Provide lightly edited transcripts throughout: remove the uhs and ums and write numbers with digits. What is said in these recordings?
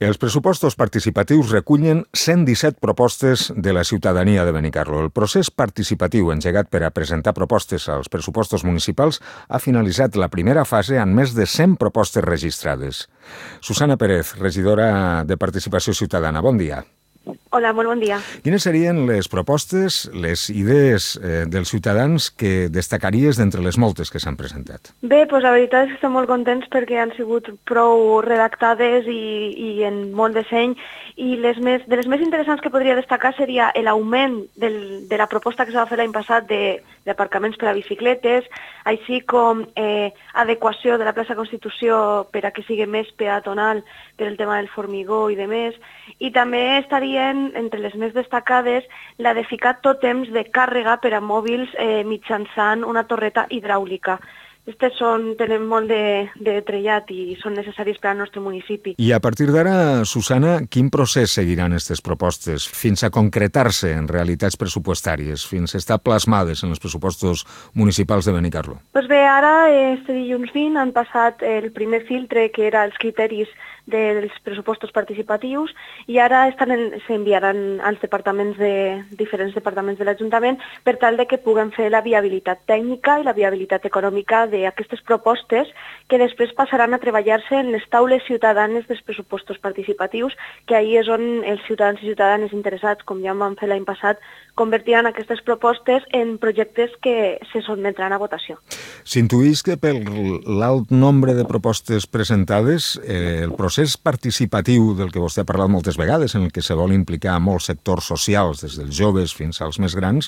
Els pressupostos participatius recullen 117 propostes de la ciutadania de Benicarló. El procés participatiu engegat per a presentar propostes als pressupostos municipals ha finalitzat la primera fase amb més de 100 propostes registrades. Susana Pérez, regidora de Participació Ciutadana, bon dia. Hola, molt bon dia. Quines serien les propostes, les idees dels ciutadans que destacaries d'entre les moltes que s'han presentat? Bé, doncs la veritat és que estem molt contents perquè han sigut prou redactades i en molt de seny, i de les més interessants que podria destacar seria l'augment de la proposta que s'ha fet l'any passat d'aparcaments per a bicicletes, així com adequació de la plaça Constitució per a que sigui més peatonal per el tema del formigó i de més, i també estarien entre les més destacades la de ficar tòtems de càrrega per a mòbils mitjançant una torreta hidràulica. Aquestes tenen molt de trellat i són necessaris per al nostre municipi. I a partir d'ara, Susana, quin procés seguiran aquestes propostes fins a concretar-se en realitats pressupostàries, fins a estar plasmades en els pressupostos municipals de Benicarló? Doncs bé, ara, este dilluns 20, han passat el primer filtre, que era els criteris dels pressupostos participatius, i ara s'enviaran als diferents departaments de l'Ajuntament per tal de que puguen fer la viabilitat tècnica i la viabilitat econòmica d'aquestes propostes, que després passaran a treballar-se en les taules ciutadanes dels pressupostos participatius, que ahir és on els ciutadans i ciutadanes interessats, com ja vam fer l'any passat, convertiran aquestes propostes en projectes que se sotmetran a votació. S'intuïx que per l'alt nombre de propostes presentades, el procés participatiu del que vostè ha parlat moltes vegades, en el que se vol implicar molts sectors socials, des dels joves fins als més grans,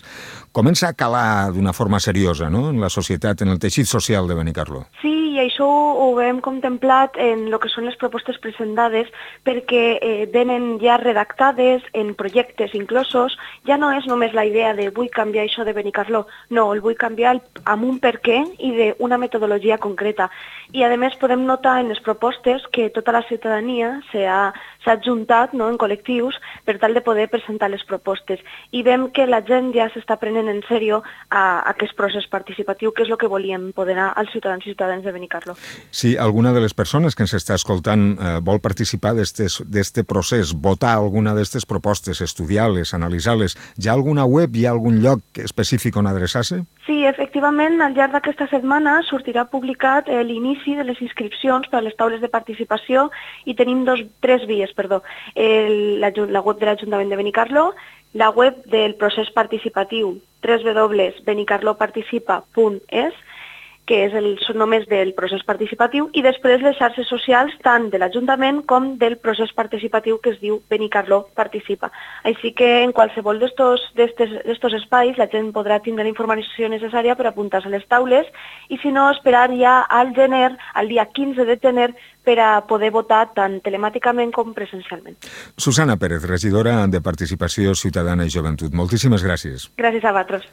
comença a calar d'una forma seriosa, no?, en la societat, en el teixit social de Benicarló. Sí, i això ho hem contemplat en el que són les propostes presentades, perquè venen ja redactades en projectes inclosos. Ja no és només la idea de vull canviar això de Benicarló, no, el vull canviar amb un per què i d'una metodologia concreta. I a més podem notar en les propostes que tota la ciutadania s'ha adjuntat, no, en col·lectius per tal de poder presentar les propostes. I veiem que la gent ja s'està prenent en sèrio aquest procés participatiu, que és el que volíem empoderar als ciutadans i ciutadanes de Benicarló. Si alguna de les persones que ens està escoltant vol participar d'este procés, votar alguna d'aquestes propostes, estudiar-les, analitzar-les, hi ha alguna web, hi ha algun lloc específic on adreçar-se? Sí, efectivament, al llarg d'aquesta setmana sortirà publicat l'inici de les inscripcions per a les taules de participació, i tenim tres vies, la web de l'Ajuntament de Benicarló, la web del procés participatiu, www.benicarloparticipa.es, que és només del procés participatiu, i després les xarxes socials tant de l'Ajuntament com del procés participatiu, que es diu Benicarló Participa. Així que en qualsevol d'estos espais la gent podrà tindre la informació necessària per apuntar-se a les taules, i si no, esperar ja al gener, al dia 15 de gener, per a poder votar tant telemàticament com presencialment. Susana Pérez, regidora de Participació Ciutadana i Joventut. Moltíssimes gràcies. Gràcies a vosaltres.